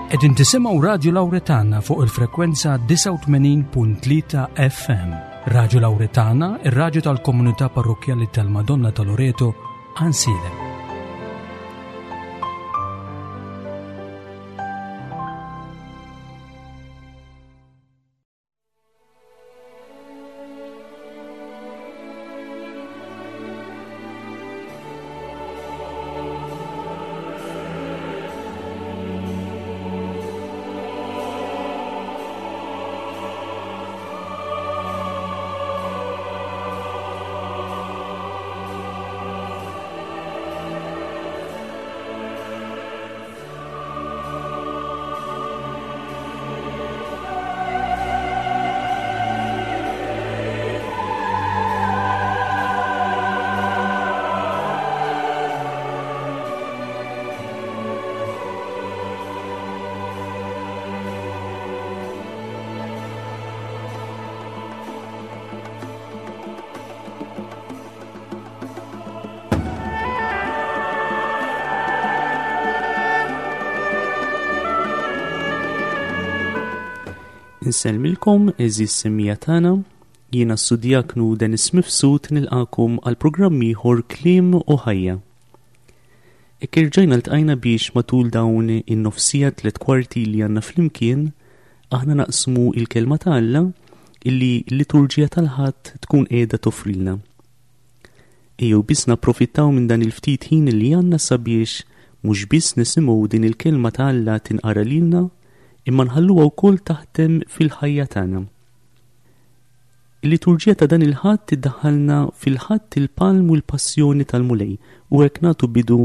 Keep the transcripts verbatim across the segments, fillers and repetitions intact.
Qegħdin tisimgħu Radju Lawretana fuq il-frekwenza disgħa u tmenin punt tlieta F M. Radju Lawretana, ir-radju tal-Komunità Parrokkjali tal-Madonna ta' Loreto, Għajnsielem. Insellmilkom, għeżież semmiegħa tagħna, jiena s-Sudjaknu Dennis Mifsud nilqagħkom għal programm ieħor Kliem u Ħajja. Hekk erġajna ltqajna biex matul dawn in-nofs siegħa tliet kwarti li għandna flimkien aħna naqsmu il-kelma ta' Alla illi l-liturġija tal-Ħadd tkun qiegħda toffrilna. Ejjew biss napprofittaw minn dan il-ftit ħin li għandna sabiex mhux biss nisimgħu din il-kelma ta' Alla tinqara lilna, imma nħalluha wkoll taħdem fil-ħajja tagħna. Il-liturġija ta' dan il-Ħadd tiddaħħalna fil-Ħadd il-Palm u l-Passjoni tal-Mulej u hekk nagħtu bidu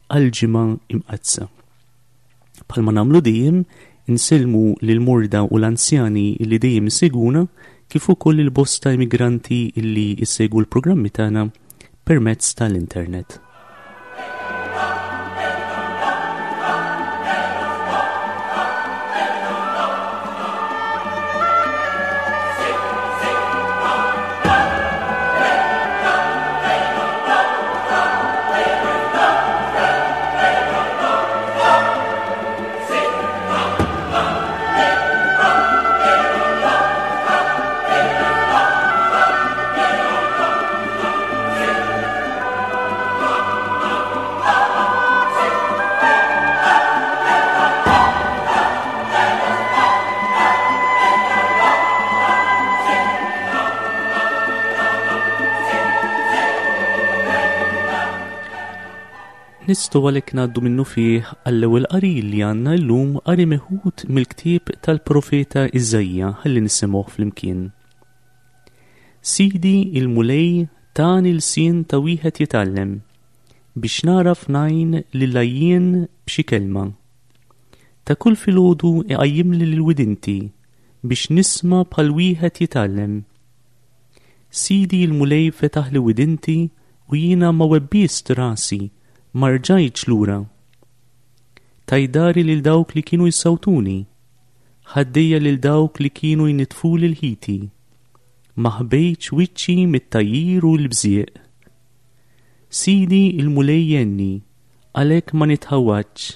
għal-Ġimgħa Imqaddsa. Bħalma nagħmlu dejjem, insellmu lil morda u l-anzjani li dejjem isegwuna, kif ukoll il-bosta immigranti illi jsegwu l-programmi tagħna permezz tal-internet. Nistgħu għalhekk ngħaddu minnufih għall-ewwel qari li għandna llum, qari meħud mill-ktieb tal-profeta Iżaija, ħalli nisimgħuh flimkien. Sidi il-Mulej tani lsien ta' wieħed jitgħallem biex nagħraf ngħin lill-għajjien b'xi kelma. Ta' kull filgħodu iqajjimli lil widinti biex nisma' bħal wieħed jitgħallem. Sidi il-Mulej fetaħli widinti u jiena ma webbist rasi, ma rġajtx lura. Tajt dahri lil dawk li kienu jsawtuni, ħaddejja lil dawk li kienu jnitfuli lħiti. Ma ħbejtx wiċċi mit-tgħajjir u l-bżieq. Sidi il-Mulej jgħinni, għalhekk ma nitħawwadx,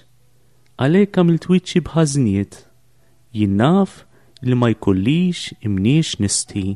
għalhekk għamilt wiċċi b'ħażniet, jien naf li ma jkollix imniex nistħi.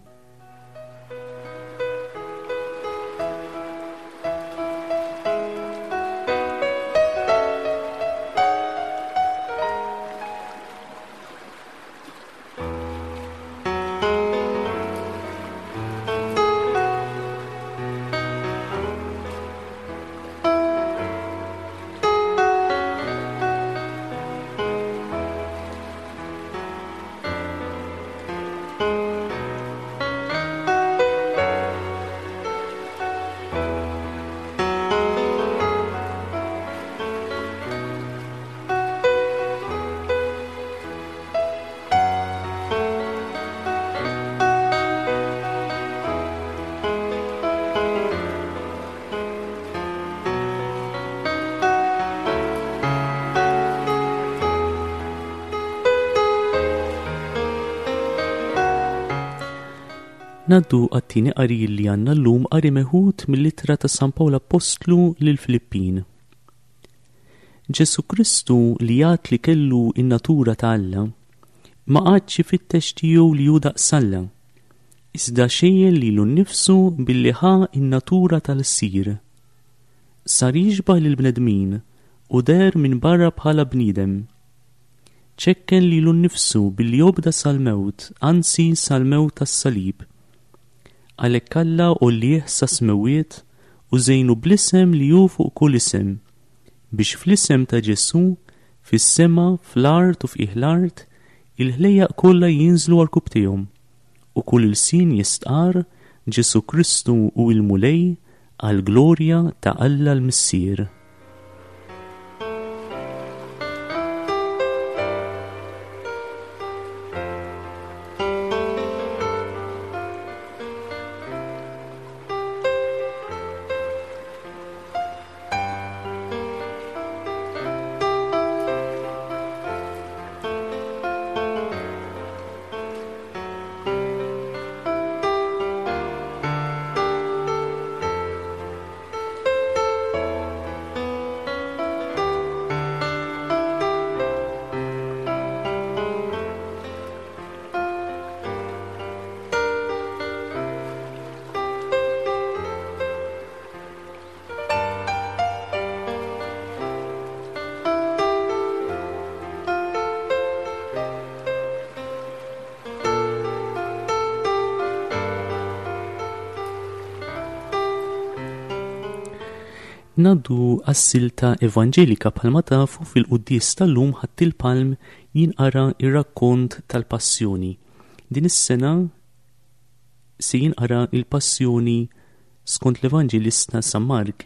Ngħaddu għat-tieni qari li għandna llum, qari meħud mill-ittra ta' San Pawl Apostlu lil Filippin. Ġesù Kristu li jgħid li kellu in-natura ta' Alla, ma qagħadx ifittex tiegħu li hu daqs Alla, iżda xejjen lilu nnifsu billi ħa in-natura tal-sir. Sar jixbah lill-bnedmin u deher minn barra bħala bniedem. Ċekken lilu nnifsu billi obda sal-mewt, anzi sal-mewt tas-salib. Għalhekk Alla għollieh sas-smewwiet u żejnu bl-isem li hu fuq kull isem, biex fl-isem ta' Ġesù, fis-sema, fl-art u f'qiegħ l-art, il-ħlejjaq kollha jinżlu għal u kull ilsien jistqarr Ġesù Kristu hu l-Mulej għall-glorja ta' Alla l-Missier. Ngħaddu għas-silta evanġelika. Bħalma tafu fil-quddies tal-lum Ħadd il-Palm jinqara ir-rakkont tal-Passjoni. Din is-sena se jinqara il-Passjoni skont l-Evanġelista San Mark.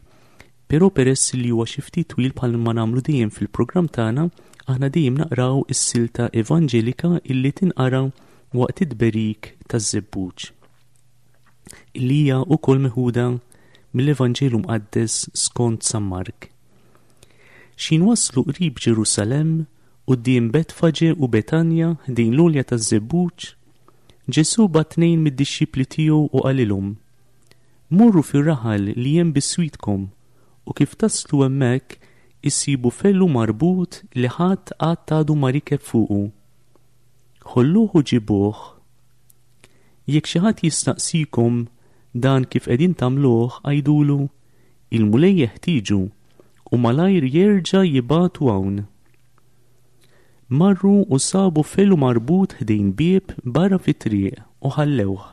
Però peress li huwa xi ftit twil bħalma nagħmlu dejjem fil-programm tagħna, aħna dejjem naqraw is-silta evanġelika illi tinqara waqt it-tberik taż-żebbuġ, illi hija wkoll meħuda mill-Evanġelu Mqaddes skont San Mark. X'ħin waslu qrib Ġerusalemm, quddiem Betfaġe u Betanja ħdejn l-għolja taż-żebbuġ, Ġesù bagħat tnejn mid-dixxipli tiegħu u qalilhom: Morru fir-raħal li hemm biswitkom, u kif taslu hemmhekk issibu fellu marbut li ħadd qatt għadu ma rikeb fuqu. Ħolluh u ġibuh. Jekk xi ħadd jistaqsikom dan kif qegħdin tagħmluh, għidulu: il-Mulej jeħtieġu u malajr jerġa' jibagħtu hawn. Marru u sabu fellu marbut ħdejn bieb barra fit-triq u ħallewh.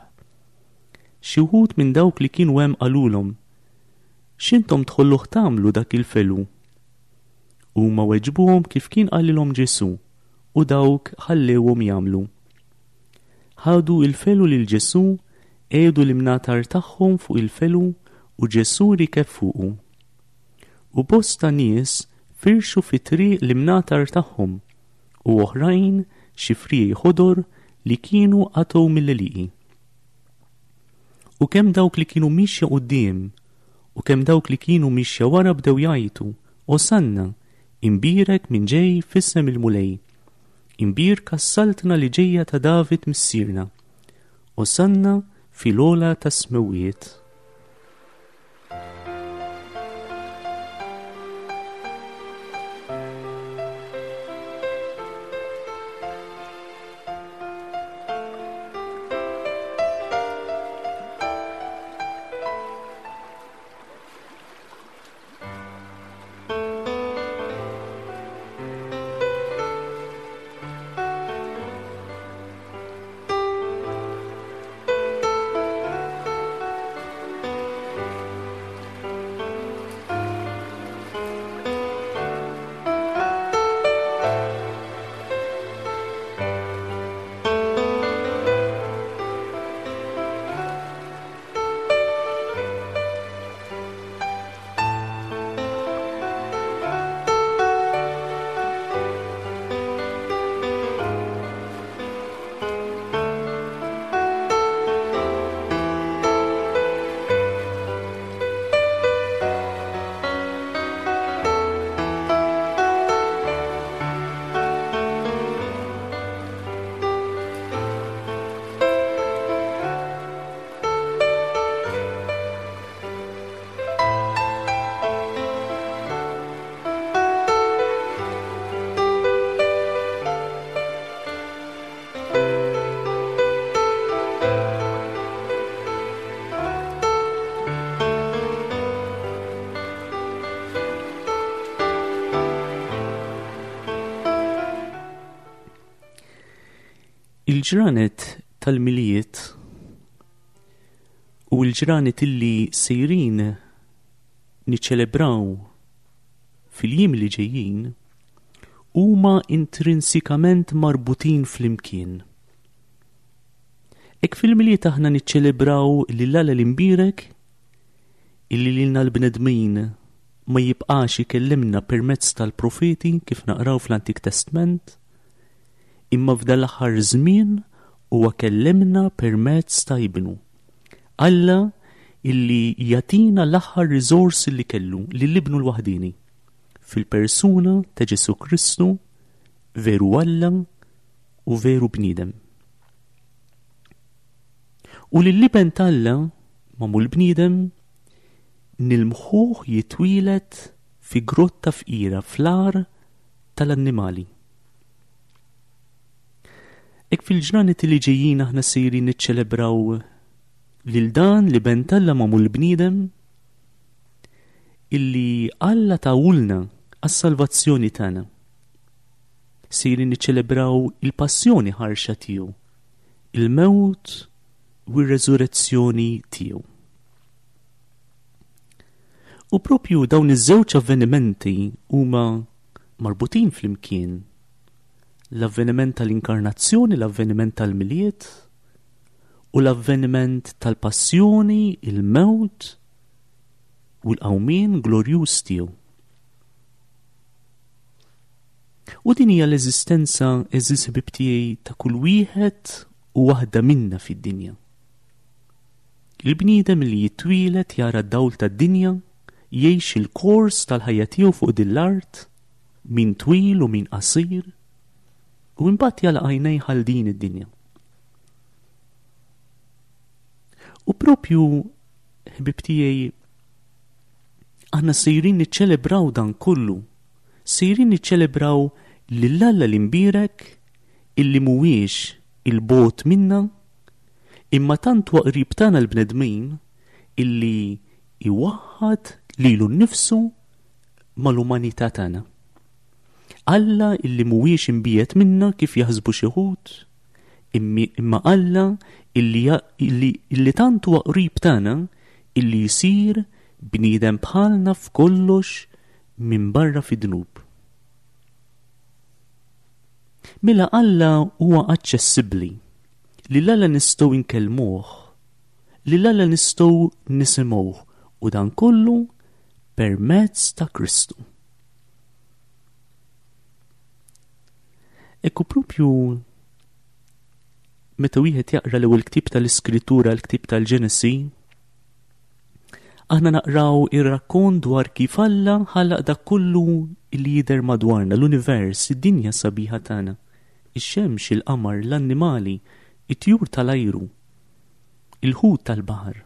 Xi wħud minn dawk li kienu hemm qalulhom: X'intom tħolluh tagħmlu dak il-felu? Huma weġbuhom kif kien qalilhom Ġesù, u dawk ħallewhom jagħmlu. Ħadu il-felu lil Ġesù, qiegħdu l-imnatar tagħhom fuq il-felu u Ġesù rikeb fuqu. U bosta nies firxu fit-triq l-imnatar tagħhom u oħrajn xi friegħi ħodor li kienu qatgħu mill-għelieqi. U kemm dawk li kienu mixja quddiem u kemm dawk li kienu mixja wara bdew jgħajtu: Osanna, imbierek min ġej f'isem il-Mulej, imbierka s-saltna li ġejja ta' David missierna, Osanna fil-ogħla tas-smewwiet. Il-ġranet tal-Milied u l-ġranet illi sejrin niċċelebraw fil-jiem li ġejjin huma intrinsikament marbutin flimkien. Hekk fil-Milied aħna niċċelebraw lil Alla l-Imbierek illi lilna l-bnedmin ma jibqax ikellimna permezz tal-profeti kif naqraw fl-Antik Testament, imma f'dan l-aħħar żmien huwa kellimna permezz ta' Ibnu. Alla illi jagħtina l-aħħar riżors li kellu lil Ibnu l-waħdini fil-persuna ta' Ġesù Kristu, veru Alla u veru bniedem. U lill-Iben t'Alla magħmul bniedem nilmħuh jitwieled fi grotta fqira fl-għar tal-annimali. Hekk fil-ġranet li ġejjin aħna sejrin niċċelebraw lil dan l-Iben t'Alla magħmul bniedem illi Alla tawulna għas-salvazzjoni tagħna. Sejrin niċċelebraw il-passjoni ħarxa tiegħu, il-mewt u r-reżurrezzjoni tiegħu. U propju dawn iż-żewġ avvenimenti huma marbutin flimkien. L-avveniment tal-inkarnazzjoni, l-avveniment tal-Milied u l-avveniment tal-passjoni, il-mewt u l-qawmien glorjuż tiegħu. U din hija l-eżistenza, għeżież ħbieb tiegħi, ta' kull wieħed u waħda minna fid-dinja. Il-bniedem li jitwieled jara d-dawl tad-dinja, jgħix il-kors tal-ħajja tiegħu fuq din l-art, min twil u min qasir, u imbagħad jagħlaq għajnejh għal din id-dinja. U propju, ħbieb tiegħi, aħna sejrin niċċelebraw dan kollu, sejrin niċċelebraw lil Alla l-imbierek illi mhuwiex il-bogħod minna, imma tant huwa qrib tagħna l-bnedmin illi iwaħħad lilu nnifsu mal-umanità tagħna. Alla illi mhuwiex imbiegħed minna kif jaħsbu xi wħud, imma Alla illi ja-, illi, illi tant huwa qrib tagħna illi jsir bniedem bħalna f'kollox minn barra fid-dnub. Mela Alla huwa aċċessibbli, li l-Alla nistgħu nkellmuh, li l-Alla nistgħu nisimgħuh, u dan kollu permezz ta' Kristu. Ekku propju meta wieħed jaqra l-ewwel ktieb tal-Iskrittura, l-ktieb tal-Ġenesi, aħna naqraw ir-rakkont dwar kif Alla ħalaq dak kollu li jidher madwarna, l-univers, id-dinja sabiħa tagħna, ix-xemx, il-qamar, l-annimali, it-tjur tal-ajru, il-ħut tal-baħar.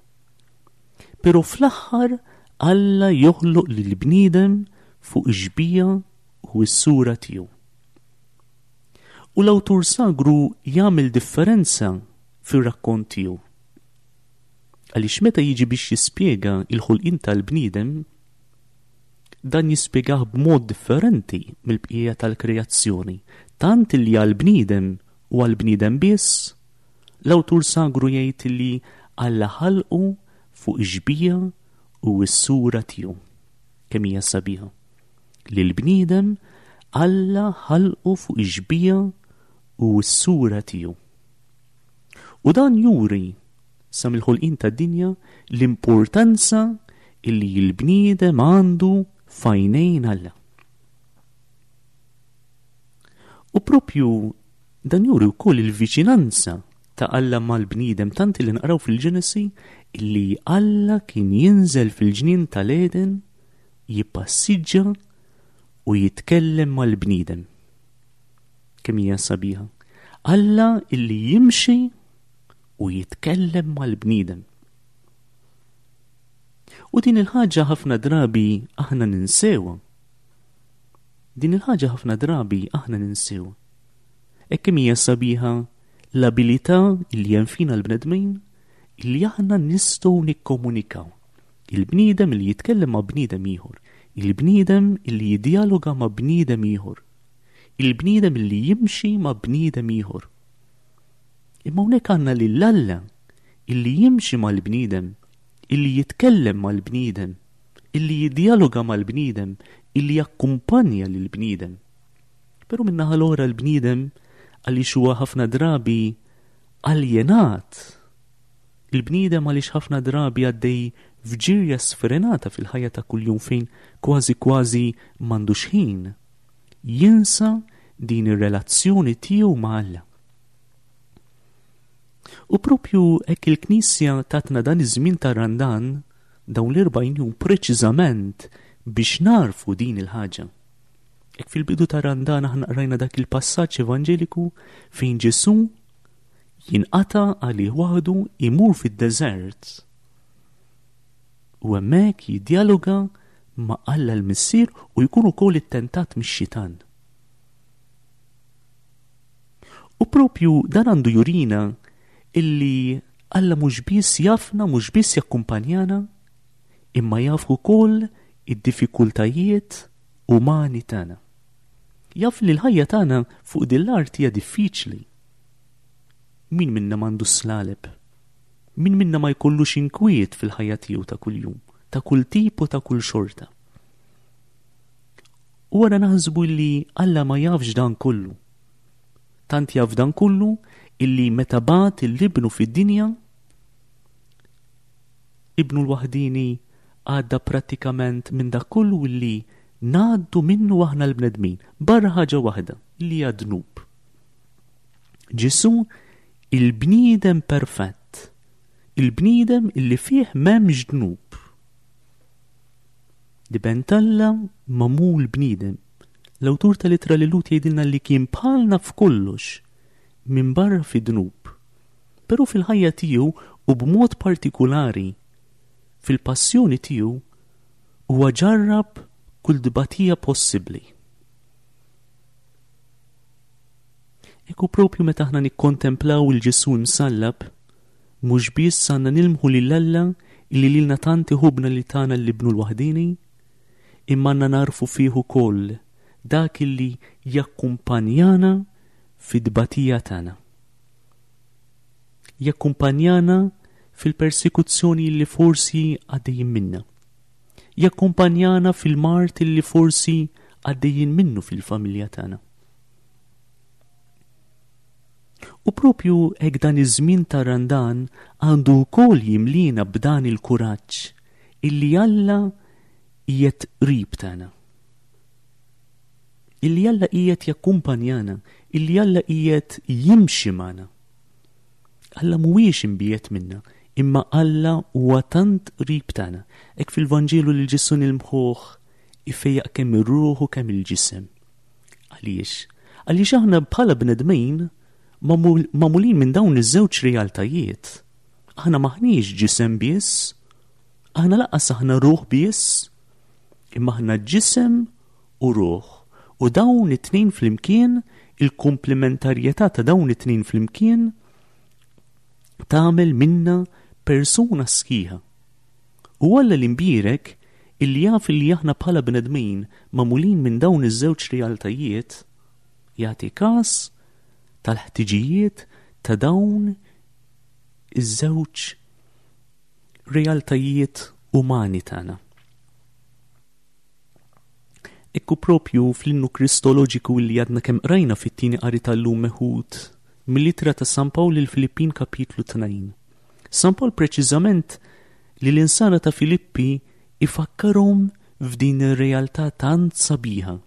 Però fl-aħħar Alla joħloq lill-bniedem fuq ix-xbieha u s-sura tiegħu. U l-awtur sagru jagħmel differenza fir-rakkont tiegħu. Għaliex meta jiġi biex jispjega il-ħolqien tal-bniedem, dan jispjegah b'mod differenti mill-bqija tal-kreazzjoni, tant li għall-bniedem u għall-bniedem biss, l-awtur sagru jgħid li Alla ħalqu fuq ix-xbieha u s-sura tiegħu. Kemm hija sabiħa. Li l-bniedem Alla ħalqu fuq ix-xbieha u s-sura tiegħu. U dan juri sa mill-ħolqien tad-dinja l-importanza illi l-bniedem għandu f'għajnejn Alla. U propju dan juri wkoll il-viċinanza ta' Alla mal-bniedem, tant li naqraw fil-Ġenesi illi Alla kien jinżel fil-ġnien tal-Eden, jippassiġġa u jitkellem mal-bniedem. Kemm hija sabiħa. Alla illi jimxi u jitkellem mal-bniedem. U din il-ħaġa ħafna drabi aħna ninsewha. Din il-ħaġa ħafna drabi aħna ninsewha. Hekk kemm hija sabiħa l-abilità li hemm fina l-bnedmin li aħna nistgħu nikkomunikaw. Il-bniedem li jitkellem ma' bniedem ieħor, il-bniedem li jiddialoga ma' bniedem ieħor, il-bniedem li jimxi ma' bniedem ieħor. Imma hawnhekk għandna lil Alla illi jimxi mal-bniedem, illi jitkellem mal-bniedem, illi jiddialoga mal-bniedem, illi jakkumpanja lill-bniedem. Però min-naħa l-oħra l-bniedem għaliex huwa ħafna drabi aljenat. Il-bniedem għaliex ħafna drabi għaddej f'ġirja sfrenata fil-ħajja ta' kuljum fejn kważi kważi m'għandux ħin. Jinsa din ir-relazzjoni tiegħu ma' Alla. U propju hekk il-Knisja tatna dan iż-żmien tar-Randan dawn l-erbgħin jum preċiżament biex narfu din il-ħaġa. Hekk fil-bidu tar-Randan aħna qrajna dak il-passaġġ evanġeliku fejn Ġesù jinqata' għalih waħdu imur fid-deżert. U hemmhekk jiddialoga ma' Alla l-Missier u jkun ukoll ittentat mix-xitan. U propju dan għandu jurina illi Alla mhux biss jafna, mhux biss jakkumpanjana, imma jaf ukoll id-diffikultajiet umani tagħna. Jaf li l-ħajja tagħna fuq din l-art hija diffiċli. Min minna m'għandu slaleb? Min minna ma jkollux inkwiet fil-ħajja tiegħu ta' kuljum, ta' kull tip u ta' kull xorta? U wara naħsbu li Alla ma jafx dan kollu. Tant jaf dan kollu illi meta bagħat il-ibnu fid-dinja, ibnu l-waħdini għadda prattikament minn dak kollu illi ngħaddu minnu aħna l-bnedmin, barra ħaġa waħda li hija dnub. Ġesù il-bniedem perfett, il-bniedem illi fih m'hemmx dnub. L-Iben t'Alla magħmul bniedem. L-awtur tal-ittra lil Lut jgħidilna li kien bħalna f'kollox minn barra fi dnub. Però fil-ħajja tiegħu u b'mod partikulari fil-passjoni tiegħu huwa ġarrab kull dbatija possibbli. Ekku propju meta aħna nikkontemplaw il-Ġesù msallab, mhux biss għandna nilmħu lil Alla illi lilna tant iħobbna li tagħna l-ibnu l-waħdini, imma għandna narfu fih ukoll dak illi jakkumpanjana fid-dbatija tagħna. Jakkumpanjana fil-persekuzzjoni li forsi għaddejjin minna. Jakkumpanjana fil-mart li forsi għaddejjin minnu fil-familja tagħna. U propju hekk dan iż-żmien tar-Randan għandu wkoll jimlina b'dan il-kuraġġ illi Alla qiegħed qrib tagħna. Illi Alla qiegħed jakkumpanjana, illi Alla qiegħed jimxi magħna. Alla mhuwiex imbiegħed minna, imma Alla huwa tant qrib tagħna. Hekk fil-Vanġelu li Ġesù nilmħuh ifejjaq kemm ir-ruħ u kemm il-ġisem. Għaliex? Għaliex aħna bħala bnedmin magħmulin minn dawn iż-żewġ realtajiet. Aħna maħniex ġisem biss, aħna lanqas aħna ruħ biss, imma aħna ġisem u ruħ. U dawn it-tnejn flimkien, il-komplementarjetà ta' dawn it-tnejn flimkien tagħmel minna persuna sħiħa. U Alla l-imbierek illi jaf illi aħna bħala bnedmin magħmulin minn dawn iż-żewġ realtajiet, jagħti każ tal-ħtiġijiet ta' dawn iż-żewġ realtajiet umani tagħna. Ekku propju fl-innu kristoloġiku li għadna kemm qrajna fit-tieni qari tal-lum meħud mill-ittra ta' San Pawl lil Filippin kapitlu tnejn. San Pawl preċiżament li l-insara ta' Filippi ifakkarhom f'din ir-realtà tant sabiħa.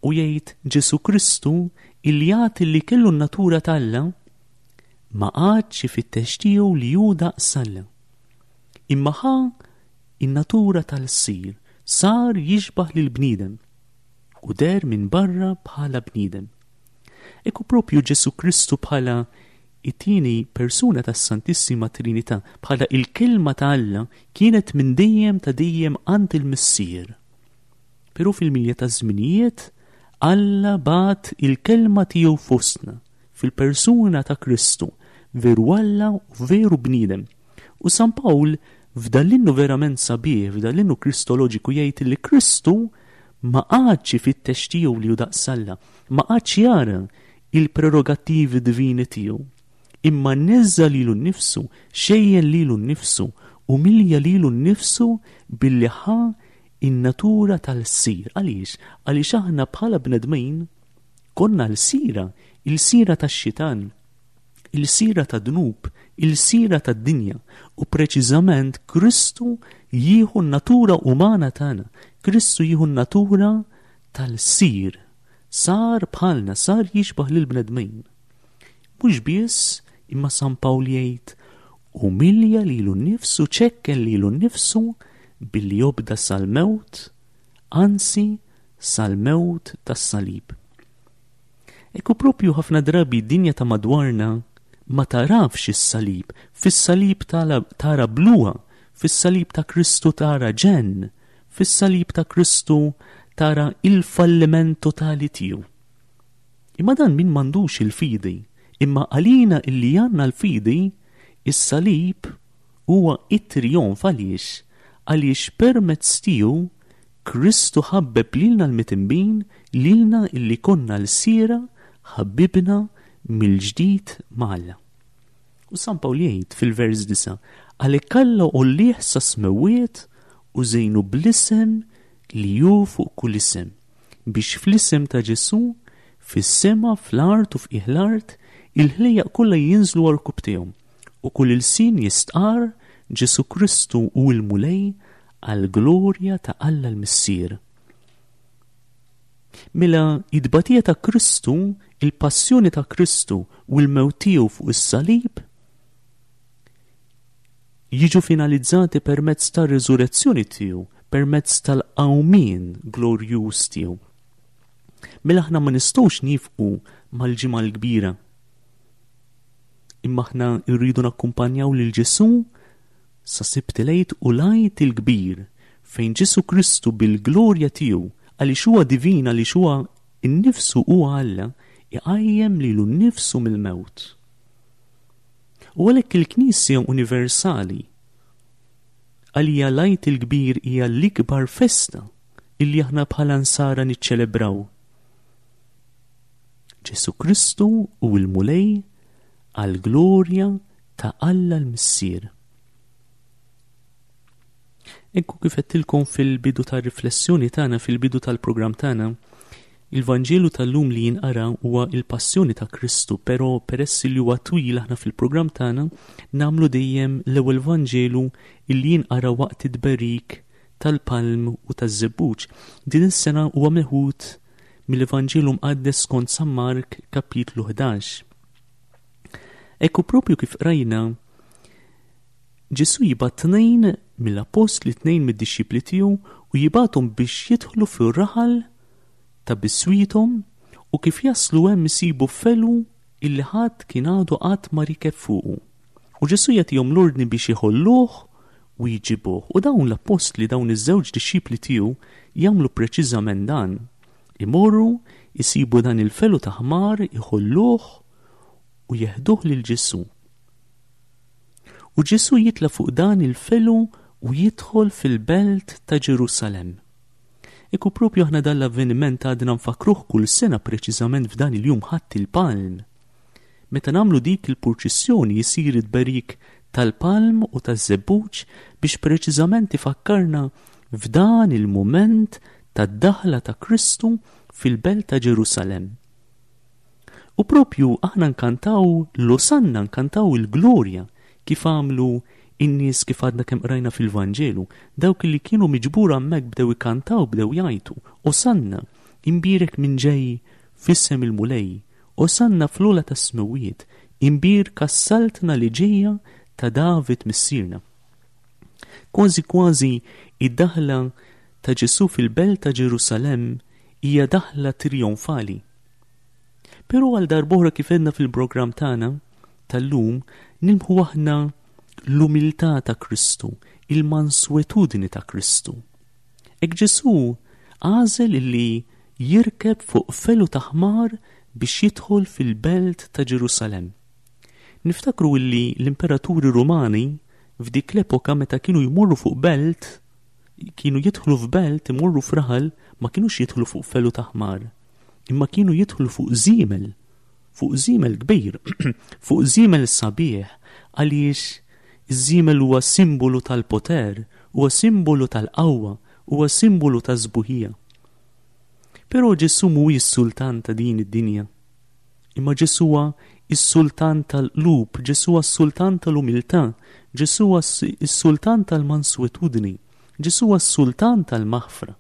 U jgħid Ġesù Kristu illi jagħti li kellu n-natura t'Alla ma qagħadx ifittex tiegħu li hu daqs Alla. Imma ħa in-natura tal-sir, sar jixbaħ lil bniedem u der minn barra bħala bniedem. Ekku propju Ġesù Kristu bħala it-tieni persuna tas-Santissima Trinità, bħala il-kelma ta' Alla kienet minn dejjem ta' dejjem għand il-Missier. Però fil-milja ta' żminijiet Alla bagħat il-kelma tiegħu fostna fil-persuna ta' Kristu, veru Alla u veru bniedem. U San Pawl f'dan l-innu verament sabiħ, f'dan l-innu kristoloġiku jgħid li Kristu ma qagħadx ifittex tiegħu li hu daqs Alla, ma qagħadx jara il-prerogattivi divini tiegħu, Imma neżża' lilu nnifsu, xejjen lilu nnifsu, umilja lilu nnifsu billi ħa in-natura tal-lsir. Għaliex? Għaliex aħna bħala bnedmin konna lsira, ilsira tax-xitan, ilsira tad-dnub, ilsira tad-dinja, u preċiżament Kristu jieħu n-natura umana tagħna, Kristu jieħu n-natura tal-lsir, sar bħalna, sar jixbah lill-bnedmin. Mhux biss, imma San Pawl jgħid umilja lilu nnifsu, ċekken lilu nnifsu billi jobda sal-mewt, anzi sal-mewt tas-salib. Ekku propju ħafna drabi d-dinja ta' madwarna ma tarafx is-salib, fis-salib tara bluha, fis-salib ta' Kristu tara ġenn, fis-salib ta' Kristu tara il-falliment totali tiegħu. Imma dan min m'għandux il-fidi, imma għalina illi għandna l-fidi, is-salib huwa it-trijonf. Għaliex? Għaliex permezz tiegħu Kristu ħabbeb lilna l-midinbin, lilna illi konna lsiera, ħabbibna mill-ġdid ma' Alla. U San Pawl jgħid fil-vers disa, għalhekk Alla għollieh sas-smewwiet u żejnu bl-isem li hu fuq kull isem, biex fl-isem ta' Ġesù, fis-sema, fl-art u f'qiegħ l-art, il-ħlejjaq kollha jinżlu għal u kull ilsien jistqar Ġesù Kristu hu l-Mulej għall-glorja ta' Alla l-Missier. Mela it-tbatija ta' Kristu, il-passjoni ta' Kristu u l-mewt tiegħu fuq is-salib jiġu finalizzati permezz tar-riżurezzjoni tiegħu, permezz tal-qawmien glorjuż tiegħu. Mela aħna ma nistgħux nifqu mal-Ġimgħa l-Kbira. Imma aħna rridu nakkumpanjaw lil Ġesù sa Sibt il-Għid u l-Għid il-Kbir fejn Ġesù Kristu bil-glorja tiegħu, għaliex huwa divin, għaliex huwa innifsu huwa Alla, iqajjem lilu nnifsu mill-mewt. U għalhekk il-Knisja Universali għalija l-Għid il-Kbir hija l-ikbar festa illi aħna bħala nsara niċċelebraw. Ġesù Kristu hu l-Mulej għall-glorja ta' Alla l-Missier. Ekku kif għedtilkom fil-bidu tar-riflessjoni tagħna, fil-bidu tal-programm tagħna, il-Vanġelu tal-lum li jinqara huwa il-passjoni ta' Kristu, però peress li huwa twil aħna fil-programm tagħna nagħmlu dejjem l-ewwel Vanġelu illi jinqara waqt it-tberik tal-palm u taż-żebbuġ. Din is-sena huwa meħud mill-Evanġelu mqaddes skont San Mark kapitlu ħdax. Ekku propju kif rajna, Ġesù jibgħat tnejn mill-appostli, tnejn mid-dixxipli tiegħu, u jibgħathom biex jidħlu fir-raħal ta' biswithom, u kif jaslu hemm isibu felu illi ħadd kien għadu qatt ma rikeb fuqu. U Ġesù jagħtihom l-ordni biex iħolluh u jġibuh. U dawn l-appostli, dawn iż-żewġ dixxipli tiegħu jagħmlu preċiżament dan. Imorru, isibu dan il-felu ta' ħmar, iħolluh u jeħduh lil Ġesù. U Ġesù jitla' fuq dan il-felu u jidħol fil-belt ta' Ġerusalemm. Ekku propju aħna dan l-avveniment għadna nfakruh kull sena preċiżament f'dan il-jum Ħadd il-Palm. Meta nagħmlu dik il-purċissjoni jisir it-tberik tal-palm u taż-żebbuġ biex preċiżament ifakkarna f'dan il-mument tad-daħla ta' Kristu fil-belt ta' Ġerusalemm. U propju aħna nkantaw l-Osanna, nkantaw il-glorja, kif għamlu in-nies kif għadna kemm qrajna fil-Vanġelu, dawk li kienu miġbura hemmhekk bdew ikantaw, bdew jgħajtu, Osanna, imbierek minn ġej f'isem il-Mulej, Osanna fl-ogħla tas-smewwiet, imbierka s-saltna li ġejja ta' David missierna. Kważi kważi id-daħla ta' Ġesù fil-belt ta' Ġerusalemm hija daħla trionfali. Però għal darb'oħra kif għedna fil-programm tagħna tal-lum, nilmħu aħna l-umiltà ta' Kristu, il-manswetudni ta' Kristu. Hekk Ġesù għażel illi jirkeb fuq felu ta' ħmar biex jidħol fil-belt ta' Ġerusalemm. Niftakru illi l-imperaturi Rumani f'dik l-epoka meta kienu jmorru fuq belt, kienu jidħlu f'belt, imorru f'raħal, ma kienux jidħlu fuq felu ta' ħmar, imma kienu jidħlu fuq żiemel, fuq żiemel kbir, fuq żiemel sabiħ, għaliex iż-żiemel huwa simbolu tal-poter, huwa simbolu tal-qawwa, huwa simbolu taż-sbuħija. Però Ġesù mhuwiex sultan ta' din id-dinja. Imma Ġesù huwa is-sultan tal-qlub, Ġesù huwa s-sultan tal-umiltà, Ġesù huwa s-sultan tal-manswetudni, Ġesù huwa s-sultan tal-maħfra.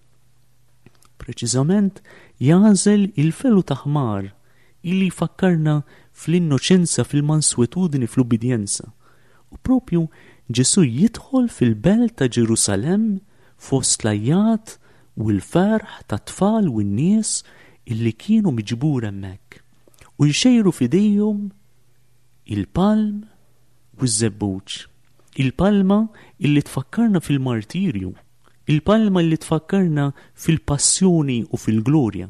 Preċiżament jagħżel il-felu ta' ħmar illi jfakkarna fl-innoċenza, fil-manswetudni, fl-ubbidjenza. U propju Ġesù jidħol fil-belt ta' Ġerusalemm fost l-għajjat u l-ferħ tat-tfal u n-nies illi kienu miġbur hemmhekk u jxejru f'idejhom il-palm u ż-żebbuġ. Il-palma illi tfakkarna fil-martirju, il-palma illi tfakkarna fil-passjoni u fil-glorja,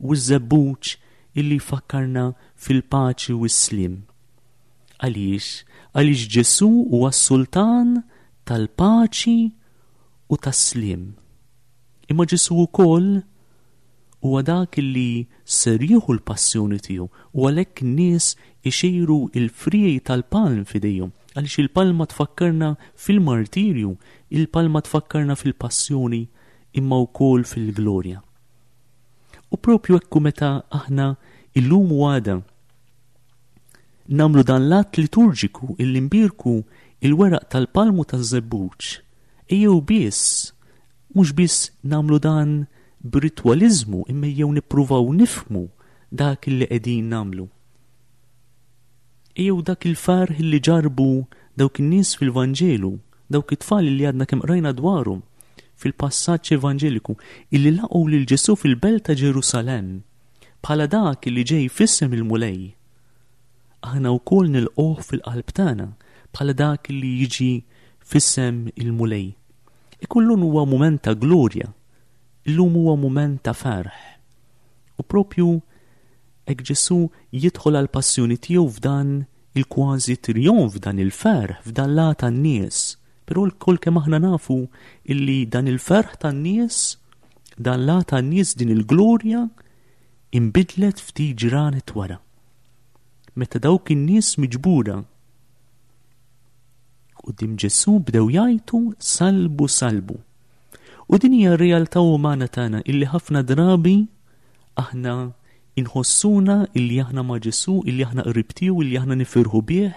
u ż-żebbuġ illi jfakkarna fil-paċi u s-sliem. Għaliex? Għaliex Ġesù huwa s-sultan tal-paċi u tas-sliem. Imma Ġesù wkoll huwa dak li ser jieħu l-passjoni tiegħu u għalhekk n-nies ixejru il-friegħi tal-palm f'idejhom, għaliex il-palma tfakkarna fil-martirju, il-palma tfakkarna fil-passjoni imma wkoll fil-glorja. U propju ekku meta aħna illum u għada nagħmlu dan l-att liturġiku illi nbierku il-weraq tal-palmu taż-żebbuġ, ejjew biss, mhux biss nagħmlu dan b'ritwaliżmu, imma ejjew nippruvaw nifhmu dak illi qegħdin nagħmlu. Ejjew dak il-ferħ illi ġarbu dawk in-nies fil-Vanġelu, dawk it-tfal li għadna kemm qrajna dwarhom fil-passaġġ evanġeliku, illi laqgħu lil Ġesù fil-belt ta' Ġerusalemm bħala dak illi ġej f'isem il-Mulej. Aħna wkoll nilqgħuh fil-qalb tagħna bħala dak li jiġi f'isem il-Mulej. Ikullun huwa mument ta' glorja, illum huwa mument ta' ferħ. U propju hekk Ġesù jidħol għall-passjoni tiegħu f'dan il-kważi trionf, f'dan il-ferħ, f'dan l-għata tan-nies. Però lkoll kemm aħna nafu illi dan il-ferħ tan-nies, dan l-għata tan-nies, din il-glorja inbidlet ftit ġranet wara. Meta dawk in-nies miġbura quddiem Ġesù bdew jgħajtu salbu, salbu. U din hija r-realtà umana tagħna illi ħafna drabi aħna inħossuna illi aħna ma' Ġesù, illi aħna qrib tiegħu, illi aħna nifirħu bih,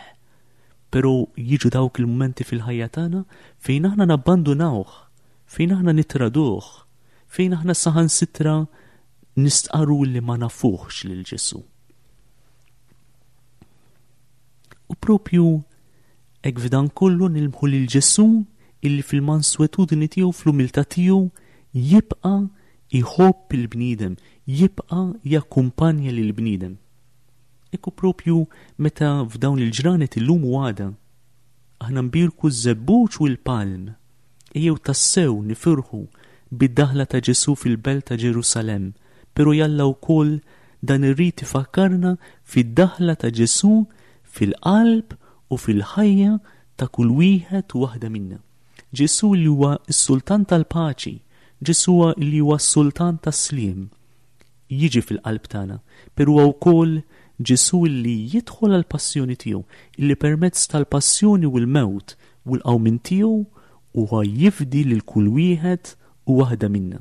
però jiġu dawk il-mumenti fil-ħajja tagħna fejn aħna nabbandunawh, fejn aħna nitraduh, fejn aħna saħansitra nistqarru li ma nafuhx lil Ġesù. U propju hekk f'dan kollu nilmħu lil Ġesù illi fil-manswetudni tiegħu, fl-umiltà tiegħu, jibqa' jħobb il-bniedem, jibqa' jakkumpanja lil bniedem. Ekku propju meta f'dawn il-ġranet illum u għada aħna nbierku ż-żebbuġ u l-palm, ejjew tassew nifirħu bid-daħla ta' Ġesù fil-belt ta' Ġerusalemm, però jalla wkoll dan ir-rit ifakkarna fid-daħla ta' Ġesù fil-qalb u fil-ħajja ta' kull wieħed u waħda minna. Ġesù li huwa s-sultan tal-paċi, Ġesù li huwa s-sultan tas-sliem, jiġi fil-qalb tagħna, però huwa wkoll Ġesù li jidħol għall-passjoni tiegħu, illi permezz tal-passjoni u l-mewt u l-qawmien tiegħu huwa jifdi lil kull wieħed u waħda minna.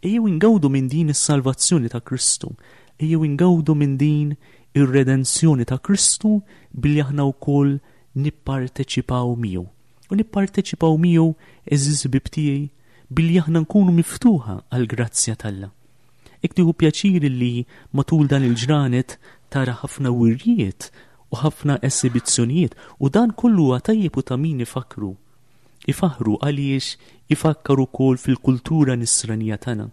Ejjew ingawdu minn din is-salvazzjoni ta' Kristu, ejjew ingawdu minn din ir-redenzjoni ta' Kristu billi aħna wkoll nipparteċipaw miegħu. U nipparteċipaw miegħu, għeżież ħbieb tiegħi, billi aħna nkunu miftuħa għall-grazzja t'Alla. Hekk tieħu pjaċir li matul dan il-ġranet tara ħafna wirjiet u ħafna esibizzjonijiet, u dan kollu huwa tajjeb u ta' min ifakru. Ifaħru għaliex ifakkar ukoll fil-kultura nisranija tagħna.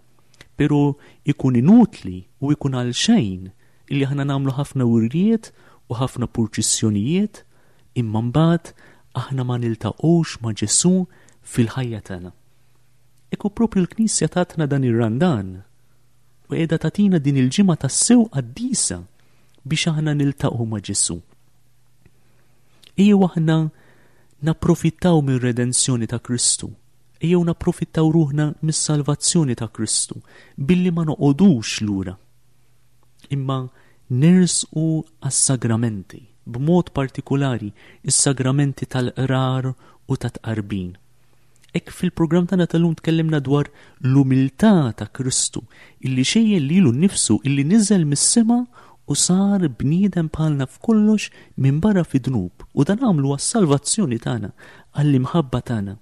Però ikun inutli u ikun għal xejn illi aħna nagħmlu ħafna wirjiet u ħafna purċissjonijiet, imma mbagħad aħna ma niltaqgħux ma' Ġesù fil-ħajja tagħna. Ekku propju l-Knisja tatna dan ir-Randan u qiegħda tagħtina din il-ġimgħa tassew qaddisa biex aħna niltaqgħu ma' Ġesù. Ejjew aħna napprofittaw mir-redenzjoni ta' Kristu, ejjew napprofittaw ruħna mis-salvazzjoni ta' Kristu billi ma noqogħdux lura, imma Nersqu għas-sagramenti, b'mod partikulari is-sagramenti tal-qrar u tat-tqarbin. Hekk fil-programm tagħna tal-lum tkellimna dwar l-umiltà ta' Kristu, illi xejjen lilu nnifsu, illi niżel mis-sema u sar bniedem bħalna f'kollox minbarra fid-dnub, u dan għamlu għas-salvazzjoni tagħna, għall-imħabba tagħna.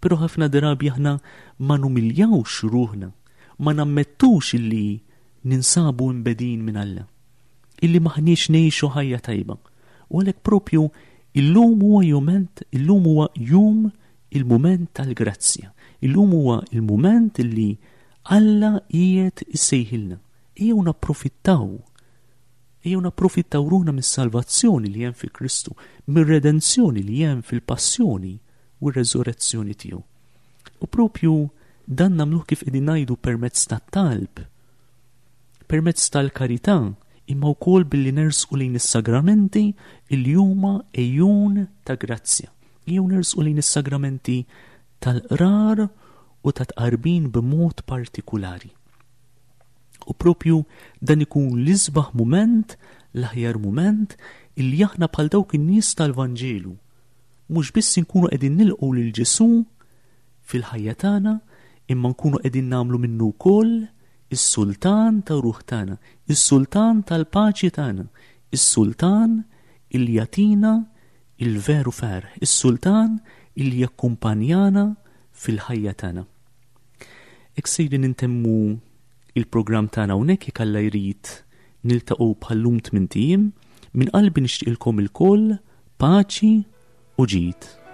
Però ħafna drabi aħna ma numiljawx ruħna, ma nammettux illi ninsabu imbegħdin minn Alla, illi m'aħniex ngħixu ħajja tajba. U għalhekk propju illum huwa jument, illum huwa jum il-mument tal-grazzja. Illum huwa il-mument illi Alla qiegħed issejħilna. Ejjew napprofittaw. Ejjew napprofittaw ruħna mis-salvazzjoni li hemm fi Kristu, mir-redenzjoni li hemm fil-passjoni u r-reżurrezzjoni tiegħu. U propju dan nagħmluh kif qegħdin ngħidu permezz tat-talb, permezz tal-karità, imma wkoll billi nersqu lejn is-sagramenti li huma għejun ta' grazzja. Ejjew nersqu lejn is-sagramenti tal-qrar u ta' tqarbin b'mod partikulari. U propju dan ikun l-isbaħ mument, l-aħjar mument, illi aħna bħal dawk in-nies tal-Vanġelu mhux biss inkunu qegħdin nilqgħu lil Ġesù fil-ħajja tagħna, imma nkunu qegħdin nagħmlu minnu wkoll is-sultan ta' ruħ tagħna, is-sultan tal-paċi tagħna, is-sultan illi jagħtina il-veru ferħ, is-sultan illi jakkumpanjana fil-ħajja tagħna. Hekk sejrin intemmu il-programm tagħna hawnhekk. Jekk Alla jrid niltaqgħu bħal-lum tmint ijiem. Minn qalbi nixtieqilkom ilkoll paċi u ġid.